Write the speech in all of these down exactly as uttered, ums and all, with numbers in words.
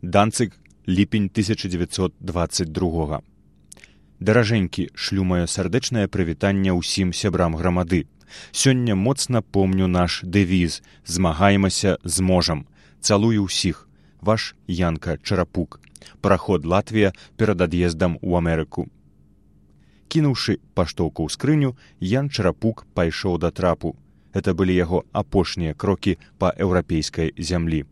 Данцыг, ліпень тысяча дзевяцьсот дваццаць другога. Даражэнькі, шлю маё сардэчнае прывітанне ўсім сябрам грамады. Сёння моцна помню наш дэвіз «Змагаемся, зможам». Цалую ўсіх. Ваш Янка Чарапук. Параход Латвія перад ад'ездам у Амерыку. Кінуўшы паштоўку ў скрыню, Ян Чарапук пайшоў да трапу. Гэта былі яго апошнія крокі па еўрапейскай зямлі.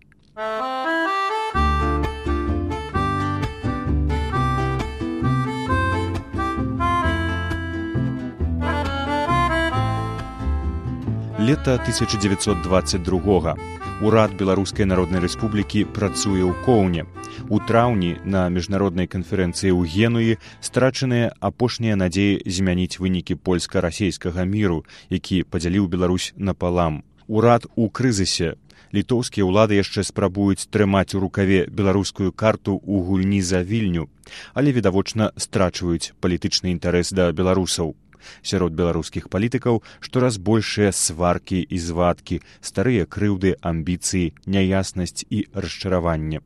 Лета тысяча дзевяцьсот дваццаць другога. Урад Беларускай Народнай Рэспублікі працуе ў Коўне. У траўні на міжнароднай канферэнцыі ў Генуі страчаныя апошнія надзеі змяніць вынікі польска-расейскага міру, які падзяліў Беларусь напалам. Урад у крызісе. Літоўскія ўлады яшчэ спрабуюць трымаць у рукаве беларускую карту ў гульні за Вільню, але відавочна страчваюць палітычны інтарэс да беларусаў. Сярод беларускіх палітыкаў штораз большыя сваркі і звадкі, старыя крыўды, амбіцыі, няяснасць і расчараванне.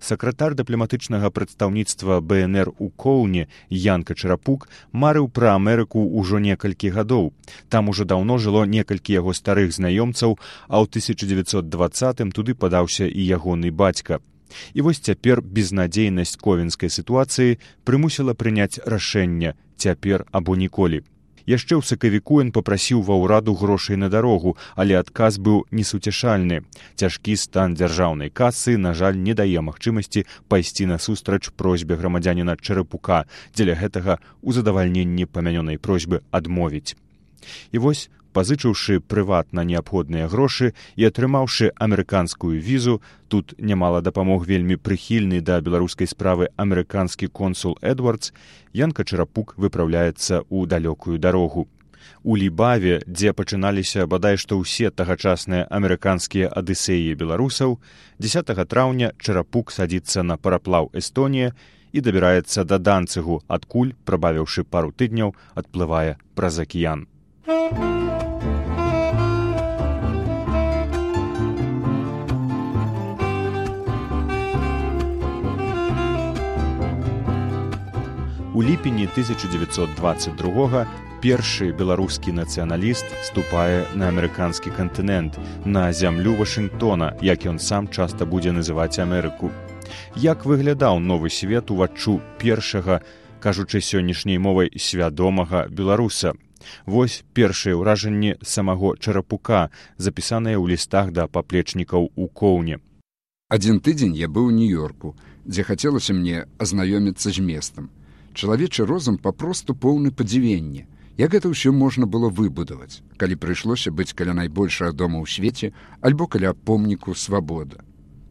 Сакратар дыпламатычнага прадстаўніцтва Бэ Эн Эр у Коўне Янка Чарапук марыў пра Амерыку ўжо некалькі гадоў. Там ужо даўно жыло некалькі яго старых знаёмцаў, а ў тысяча дзевяцьсот дваццатым туды падаўся і ягоны бацька. І вось цяпер безнадзейнасць ковенскай сітуацыі прымусіла прыняць рашэнне «цяпер або ніколі». Яшчэ ў сакавіку ён папрасіў ва ўраду грошай на дарогу, але адказ быў несуцяшальны. Цяжкі стан дзяржаўнай касы, на жаль, не дае магчымасці пайсці насустрач просьбе грамадзяніна Чарапука, дзеля гэтага ў задавальненні памянёнай просьбы адмовіць. І вось, пазычыўшы прыватна неабходныя грошы і атрымаўшы амерыканскую візу, тут нямала дапамог вельмі прыхільны да беларускай справы амерыканскі консул Эдвардс, Янка Чарапук выпраўляецца ў далёкую дарогу. У Лібаве, дзе пачыналіся бадай што ўсе тагачасныя амерыканскія адысеі беларусаў, дзесятага траўня Чарапук садзіцца на параплаў Эстонія і дабіраецца да Данцыгу, адкуль, прабавіўшы пару тыдняў, адплывае праз акіян. У ліпені тысяча дзевяцьсот дваццаць другога першы беларускі нацыяналіст ступае на амерыканскі кантынент, на зямлю Вашынгтона, як ён сам часта будзе называць Амерыку. Як выглядаў новы свет уваччу першага, кажучы сённяшняй мовай, свядомага беларуса? Вось першыя ўражанні самого Чарапука, запісаныя ў лістах да паплечнікаў у Коўне. Адзін тыдзень я быў у Нью-Йорку, дзе хацелася мне азнаёміцца з местам. Чалавечы розум папросту поўны падзівення. Як гэта ўсё можна было выбудаваць, калі прыйшлося быць каля найбольшага дома ў свеце альбо каля помніку «Свабода».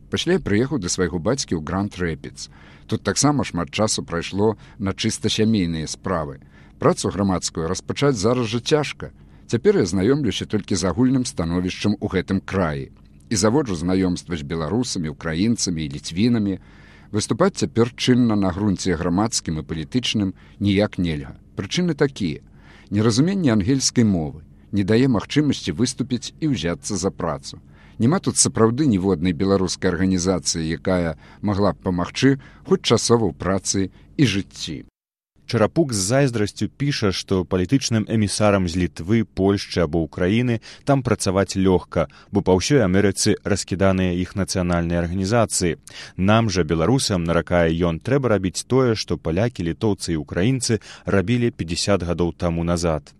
Пасля я прыехаў да свайго бацькі ў Гранд-Рэпідс. Тут таксама шмат часу прайшло на чыста сямейныя справы. Працу грамадскую распачаць зараз жа цяжка. Цяпер я знаёмлюся толькі з агульным становішчам у гэтым краі і заводжу знаёмства з беларусамі, украінцамі і ліцвінамі. Выступаць цяпер чынна на грунце грамадскім і палітычным ніяк нельга. Прычыны такія. Неразуменне ангельскай мовы не дае магчымасці выступіць і ўзяцца за працу. Нема тут сапраўды ніводнай беларускай арганізацыі, якая магла б памагчы хоць часова ў працы і жыцці. Чарапук з зайздрасцю піша, што палітычным эмісарам з Літвы, Польшчы або Украіны там працаваць лёгка, бо па ўсёй Амерыцы раскіданыя іх нацыянальныя арганізацыі. Нам жа, беларусам, наракае ён, трэба рабіць тое, што палякі, літоўцы і украінцы рабілі пятьдесят гадоў таму назад.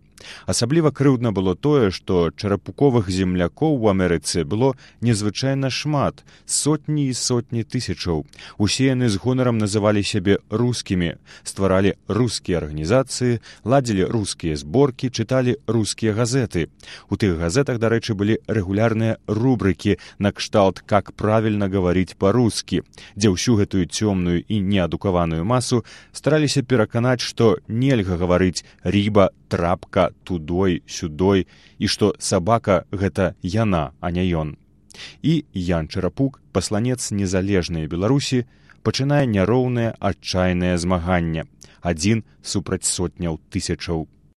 Асабліва крыўдна было тое, што чарапуковых землякоў у Амерыцы было незвычайна шмат, сотні і сотні тысячаў. Усе яны з гонарам называлі сябе рускімі, стваралі рускія арганізацыі, ладзілі рускія зборкі, чыталі рускія газеты. У тых газетах, дарэчы, былі рэгулярныя рубрыкі на кшталт «Как правильно говорить по-русски», дзе ўсю гэтую цёмную і неадукаваную масу стараліся пераканаць, што нельга гаварыць «рыба», «трапка», «тудой», «сюдой», і што сабака — гэта яна, а не ён. І Ян Чарапук, пасланец незалежнай Беларусі, пачынае няроўнае адчайнае змаганне. Адзін супраць сотняў тысячаў.